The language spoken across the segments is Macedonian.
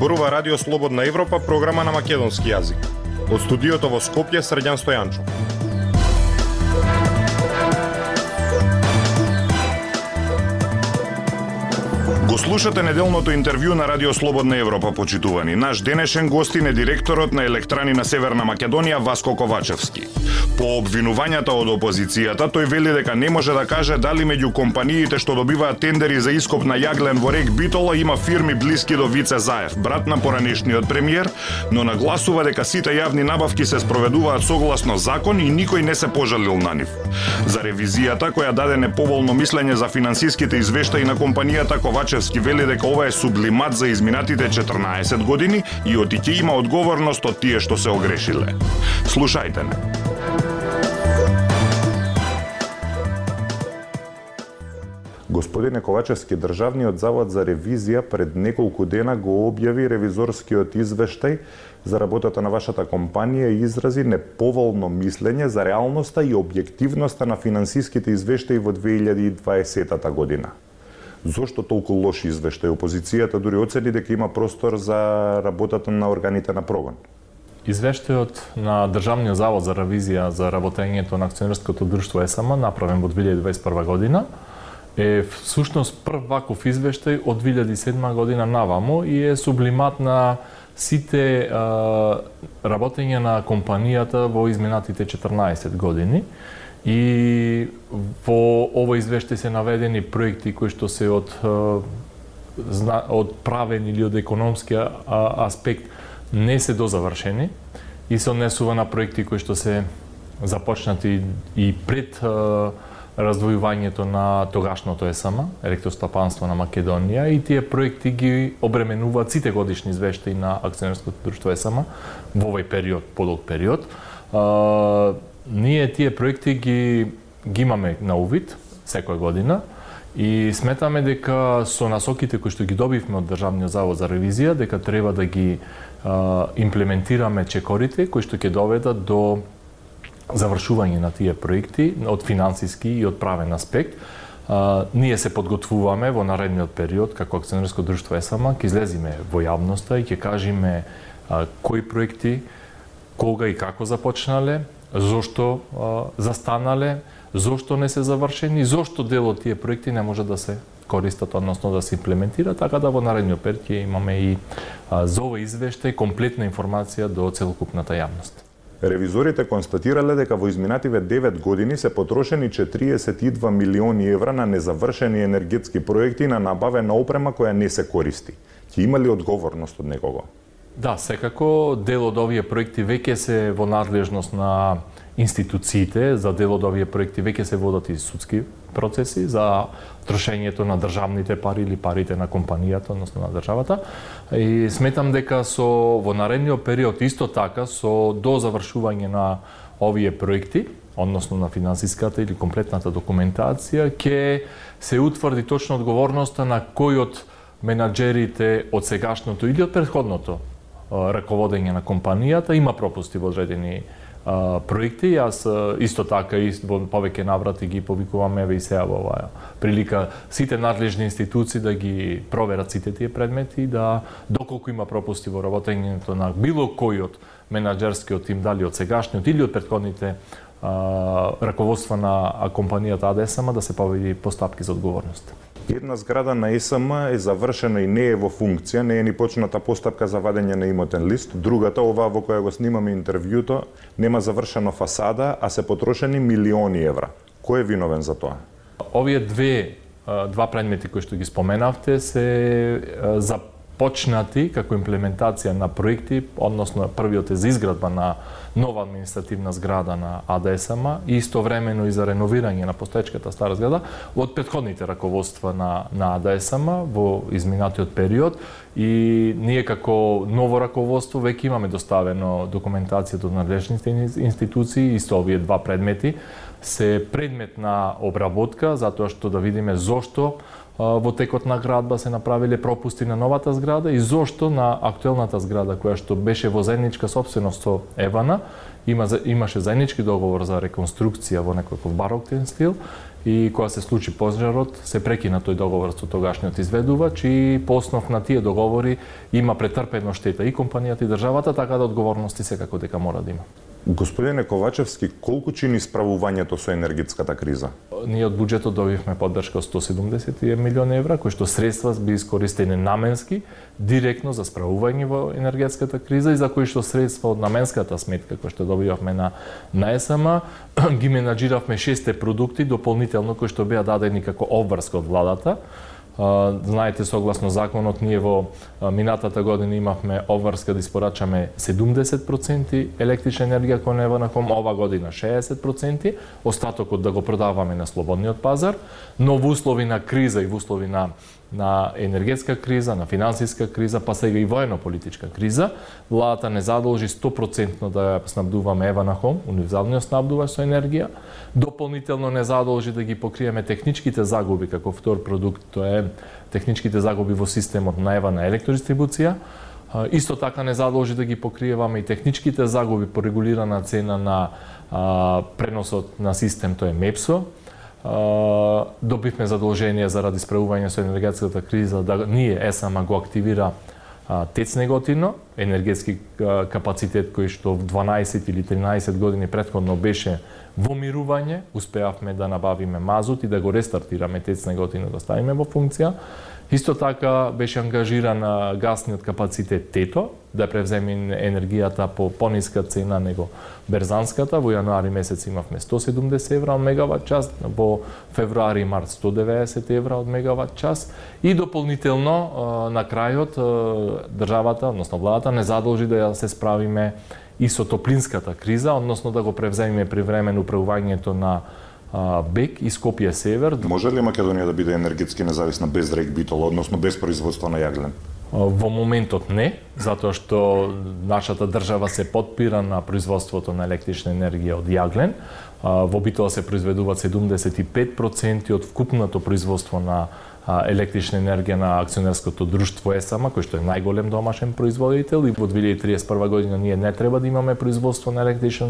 Зборува Радио Слободна Европа, програма на македонски јазик. Од студиото во Скопје, Срđan Стојанчов. Го слушате неделното интервју на Радио Слободна Европа, почитувани. Наш денешен гостин е директорот на Електрани на Северна Македонија, Васко Ковачевски. По обвинувањата од опозицијата, тој вели дека не може да каже дали меѓу компаниите што добиваат тендери за ископ на јаглен во Рек Битола има фирми блиски до Вице Заев, брат на поранешниот премиер, но нагласува дека сите јавни набавки се спроведуваат согласно закон и никој не се пожалил на нив. За ревизијата, која даде неповолно мислење за финансиските извештаи на компанијата, Ковачевски вели дека ова е сублимат за изминатите 14 години и ќе има одговорност од тие што се огрешиле. Слушајте не. Господине Ковачевски, Државниот завод за ревизија пред неколку дена го објави ревизорскиот извештај за работата на вашата компанија и изрази неповолно мислење за реалноста и објективноста на финансиските извештаи во 2020 година. Зошто толку лош извештај? Опозицијата дури оцени дека има простор за работата на органите на прогон. Извештајот на Државниот завод за ревизија за работењето на акционерското друштво ЕСМ, направен во 2021 година, е всушност прв ваков извештај од 2007 година наваму и е сублимат на сите работење на компанијата во изминатите 14 години. И во овој извештај се наведени проекти кои што се од правен или од економски аспект не се дозавршени и се однесува на проекти кои што се започнати и пред раздвојувањето на тогашното ЕСМ, Електростопанство на Македонија, и тие проекти ги обременуваат сите годишни извештаи на акционерското друштво ЕСМ во овој период, подолг период. Ние тие проекти ги имаме на увид секоја година и сметаме дека со насоките кои што ги добивме од Државниот завод за ревизија, дека треба да ги имплементираме чекорите кои што ќе доведат до завршување на тие проекти од финансиски и од правен аспект. Ние се подготвуваме во наредниот период како акционерско друштво ЕСМ, ќе излеземе во јавноста и ќе кажеме кои проекти, кога и како започнале, зошто застанале, зошто не се завршени, зошто дел од тие проекти не може да се користат, односно да се имплементира, така да во наредниот период ќе имаме и за овој извештај комплетна информација до целокупната јавност. Ревизорите констатирале дека во изминативе 9 години се потрошени 42 милиони евра на незавршени енергетски проекти на набавена опрема која не се користи. Ќе има ли одговорност од некого? Да, секако дел од овие проекти веќе се во надлежност на институциите, за дел од овие проекти веќе се водат и судски процеси за трошењето на државните пари или парите на компанијата, односно на државата. И сметам дека во наредниот период исто така со до завршување на овие проекти, односно на финансиската или комплетната документација, ќе се утврди точно одговорноста на кој од менаџерите од сегашното или од претходното раководење на компанијата има пропусти во одредени проекти. Јас исто така во повеќе наврати ги повикуваме и сега во оваа прилика сите надлежни институции да ги проверат сите тие предмети, да доколку има пропусти во работењето на било кој од менаџерскиот тим, дали од сегашниот или од претходните раководства на компанијата АДСМ, да се поведи постапки за одговорност. Една зграда на ЕСМ е завршена и не е во функција, не е ни почната постапка за вадење на имотен лист. Другата, оваа во која го снимаме интервјуто, нема завршена фасада, а се потрошени милиони евра. Кој е виновен за тоа? Овие два предмети кои што ги споменавте се започнати како имплементација на проекти, односно првиот е за изградба на нова административна зграда на АДСМ и истовремено и за реновирање на постоечката стара зграда од претходните раководства на АДСМ во изминатиот период, и ние како ново раководство веќе имаме доставено документација од надлежните институции. Исто овие два предмети се предмет на обработка, затоа што да видиме зошто во текот на градба се направиле пропусти на новата зграда и зошто на актуелната зграда која што беше во заедничка сопственост со Евана, имаше заеднички договор за реконструкција во некаков бароктен стил и кога се случи пожарот, се прекина тој договор со тогашниот изведувач и по основ на тие договори има претрпено штета и компанијата и државата, така да одговорности секако дека мора да има. Господине Ковачевски, колку чини справувањето со енергетската криза? Ние од буџетот добивме поддршка од 170 милиони евра, кои што средства би искористени наменски, директно за справување во енергетската криза и за кои што средства од наменската сметка кои што добивавме на ЕСМ, ги менаџиравме 6 продукти дополнително кои што беа дадени како обврска од владата. Знаете, согласно законот, ние во минатата година имавме обврска да испорачаме 70% електрична енергија кон Еванахом, ова година 60%, остатокот да го продаваме на слободниот пазар, но во услови на криза и во услови на енергетска криза, на финансиска криза, па сега и воено-политичка криза, владата не задолжи 100% да снабдуваме Еванахом, универзалниот снабдувач со енергија, дополнително не задолжи да ги покриеме техничките загуби како втор продукт, тоа е техничките загуби во системот на Евана електродистрибуција. Исто така не задолжи да ги покриеваме и техничките загуби по регулирана цена на преносот на систем, тоа е МЕПСО. Добивме задолжение заради справување со енергетската криза да ние ЕСМ го активира ТЕЦ Неготино, енергетски капацитет кој што в 12 или 13 години претходно беше во мирување, успеавме да набавиме мазут и да го рестартираме ТЕЦ Неготино да ставиме во функција. Исто така беше ангажиран гасниот капацитет ТЕТО да превземе енергијата по пониска цена него берзанската. Во јануари месец имавме 170 евра од мегават час, во февруари и март 190 евра од мегават час и дополнително на крајот државата, односно владата, не задолжи да се справиме и со топлинската криза, односно да го превземеме привремено управувањето на БЕК и Скопје Север. Може ли Македонија да биде енергетски независна без РЕК Битола, односно без производство на јаглен? Во моментот не, затоа што нашата држава се потпира на производството на електрична енергија од јаглен. Во Битола се произведуваат 75% од вкупното производство на електрична енергија на акционерското друштво ЕСМ, кој што е најголем домашен производител и во 2031 година ние не треба да имаме производство на електрична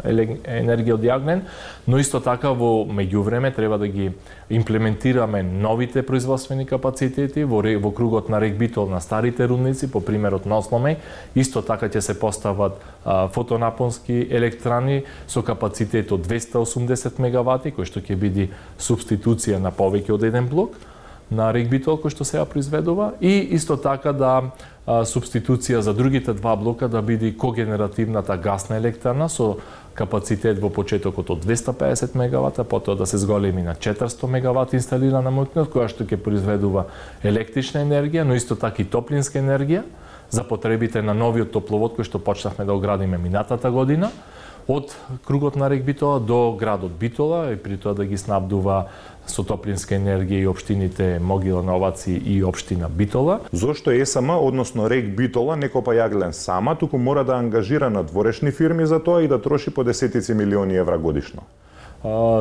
енергија од јаглен, но исто така во меѓувреме треба да ги имплементираме новите производствени капацитети во кругот на РЕК Битол на старите рудници, по примерот на Осломеј. Исто така ќе се постават фотонапонски електрани со капацитет од 280 мегавати, кој што ќе биде субституција на повеќе од еден блок на РЕК Битол кој што сега произведува и исто така да субституција за другите два блока да биде когенеративната гасна електрана со капацитет во почетокот од 250 мегавата, потоа да се зголеми на 400 мегавати инсталирана мощност која што ќе произведува електрична енергија, но исто така и топлинска енергија за потребите на новиот топловод кој што почнавме да го градиме минатата година од кругот на РЕК Битола до градот Битола и при тоа да ги снабдува со топлинска енергија и општините Могила, Новаци и општина Битола. Зошто ЕСМ, односно РЕК Битола, не копа јаглен сама, туку мора да ангажира надворешни фирми за тоа и да троши по десетици милиони евра годишно?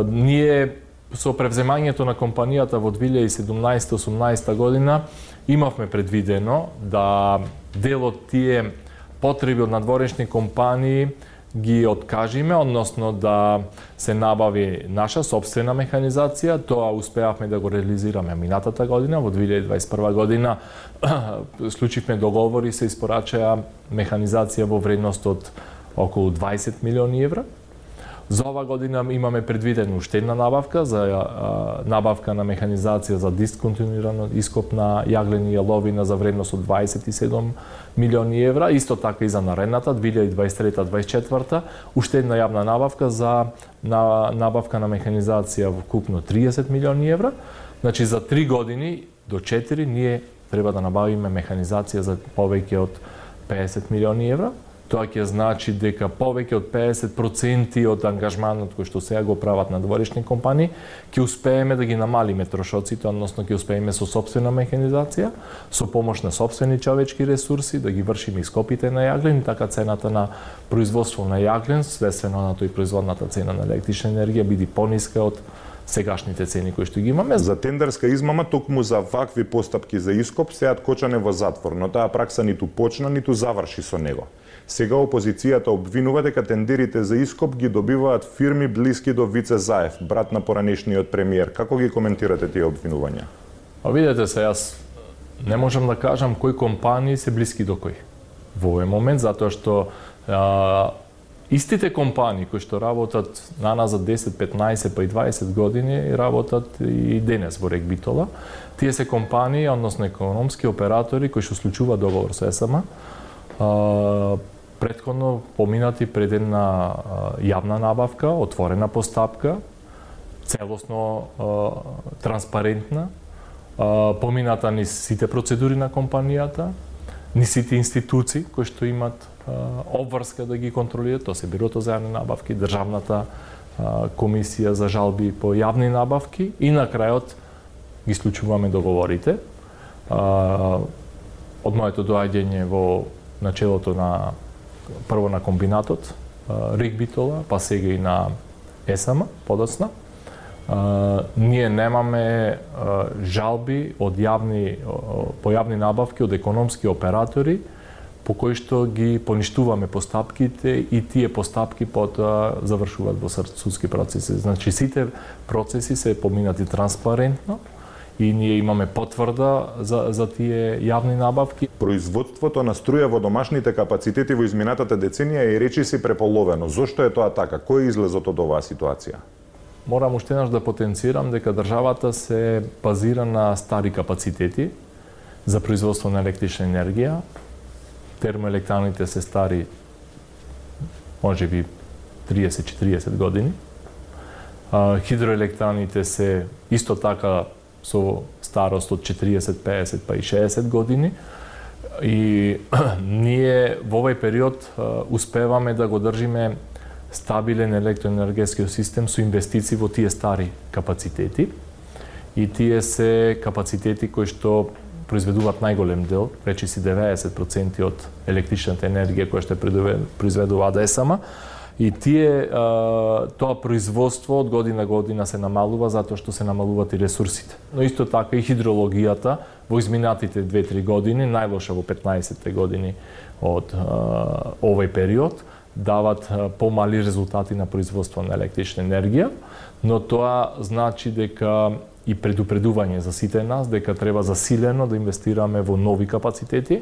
Ние со превземањето на компанијата во 2017-18 година имавме предвидено да дел од тие потреби од надворешни компании ги откажиме, односно да се набави наша собствена механизација. Тоа успеавме да го реализираме минатата година, во 2021 година склучивме договори, се испорачаа механизација во вредност од околу 20 милиони евра. За ова година имаме предвидена уште една набавка за набавка на механизација за дисконтинуирано ископ на јаглени и јаловина за вредност од 27 милиони евра, исто така и за наредната 2023-2024 уште една јавна набавка за набавка на механизација во вкупно 30 милиони евра. Значи за 3 години до 4 ние треба да набавиме механизација за повеќе од 50 милиони евра. Тоа ќе значи дека повеќе од 50% од ангажманот кој што сега го прават надворешни компании, ќе успееме да ги намалиме трошоците, односно ќе успееме со сопствена механизација, со помош на сопствени човечки ресурси, да ги вршиме ископите на јаглен, и така цената на производство на јаглен, следствено на тој производната цена на електрична енергија биде пониска од сегашните цени кои што ги имаме. За тендерска измама токму за вакви постапки за ископ сеат Кочане во затвор, но таа пракса ниту почна, ниту заврши со него. Сега опозицијата обвинува дека тендерите за ископ ги добиваат фирми блиски до Вице Заев, брат на поранешниот премиер. Како ги коментирате тие обвинувања? Видете се, јас не можам да кажам кои компании се блиски до кои во овој момент, затоа што истите компании кои што работат на нас за 10, 15 па и 20 години работат и денес во РЕК Битола. Тие се компании, односно економски оператори кои што склучуваат договор со ЕСМ, претходно поминати пред една јавна набавка, отворена постапка, целосно транспарентна, помината низ сите процедури на компанијата, низ сите институции кои што имат обврска да ги контролираат, тоа се Бирото за јавни набавки, Државната комисија за жалби по јавни набавки и на крајот ги склучуваме договорите. Од моето доаѓање во начелото на прво на комбинатот РЕК Битола, па сега и на ЕСМ подоцна, ние немаме жалби од по јавни набавки од економски оператори по кои што ги поништуваме постапките и тие постапки потоа завршуваат во судски процеси. Значи сите процеси се поминати транспарентно и ние имаме потврда за тие јавни набавки. Производството на струја во домашните капацитети во изминатата деценија е речиси преполовено. Зошто е тоа така? Кој е излезот од оваа ситуација? Морам уште еднаш да потенцирам дека државата се базира на стари капацитети за производство на електрична енергија. Термоелектраните се стари можеби 30-40 години. Хидроелектраните се исто така со старост од 40, 50 па и 60 години. И ние во овој период успеваме да го држиме стабилен електроенергетски систем со инвестиции во тие стари капацитети. И тие се капацитети кои што произведуваат најголем дел, речиси 90% од електричната енергија која што произведува АДСМ. И тоа производство од година година се намалува затоа што се намалуваат и ресурсите. Но исто така и хидрологијата во изминатите 2-3 години, најлоша во 15-те години од овој период, дават помали резултати на производство на електрична енергија, но тоа значи дека и предупредување за сите нас дека треба засилено да инвестираме во нови капацитети,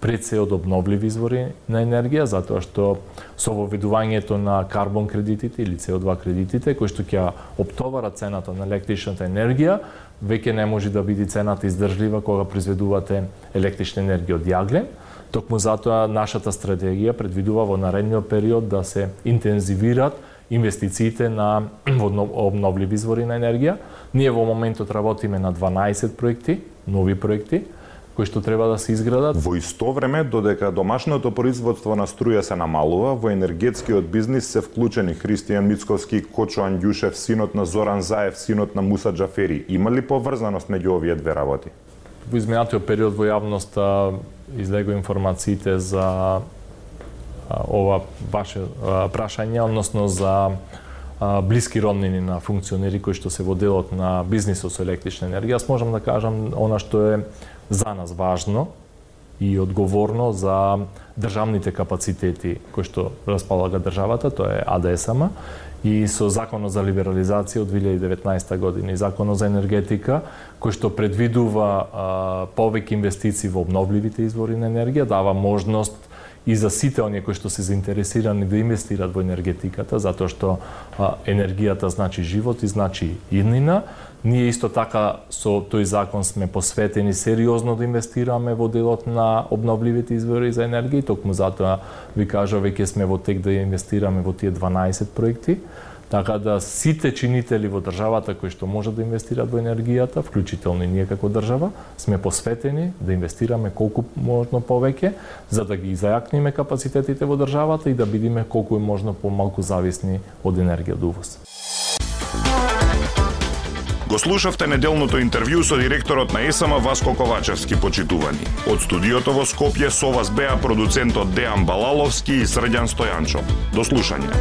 пред се од обновливи извори на енергија, затоа што со воведувањето на карбон кредитите или CO2 кредитите, кои што ќе оптоварат цената на електричната енергија, веќе не може да биде цената издржлива кога произведувате електрична енергија од јаглен. Токму затоа нашата стратегија предвидува во наредниот период да се интензивираат инвестициите на обновливи извори на енергија. Ние во моментот работиме на 12 проекти, нови проекти, кои што треба да се изградат. Во исто време, додека домашното производство на струја се намалува, во енергетскиот бизнис се вклучени Христијан Мицковски, Кочо Андјушев, синот на Зоран Заев, синот на Муса Џафери. Има ли поврзаност меѓу овие две работи? Во изминатиот период во јавноста излегува информациите за ова ваше прашање, односно за блиски роднини на функционери кои што се во делот на бизнисот со електрична енергија. Јас можам да кажам она што е за нас важно и одговорно за државните капацитети кои што располага државата, тоа е АДСМ, и со Законот за либерализација од 2019 година и Законот за енергетика, кој што предвидува повеќе инвестиции во обновливите извори на енергија, дава можност и за сите оние кои што се заинтересирани да инвестираат во енергетиката, затоа што енергијата значи живот и значи иднина. Ние исто така со тој закон сме посветени сериозно да инвестираме во делот на обновливите извори за енергија, токму затоа ви кажа веќе сме во тек да инвестираме во тие 12 проекти. Така да сите чинители во државата кои што можат да инвестираат во енергијата, вклучително и ние како држава, сме посветени да инвестираме колку можно повеќе, за да ги зајакниме капацитетите во државата и да бидеме колку е можно помалку зависни од енергија од увоз. Го слушавте неделното интервју со директорот на ЕСМ Васко Ковачевски, почитувани. Од студиото во Скопје со вас беа продуцентот Дејан Балаловски и Срđan Стојанчо. До слушање.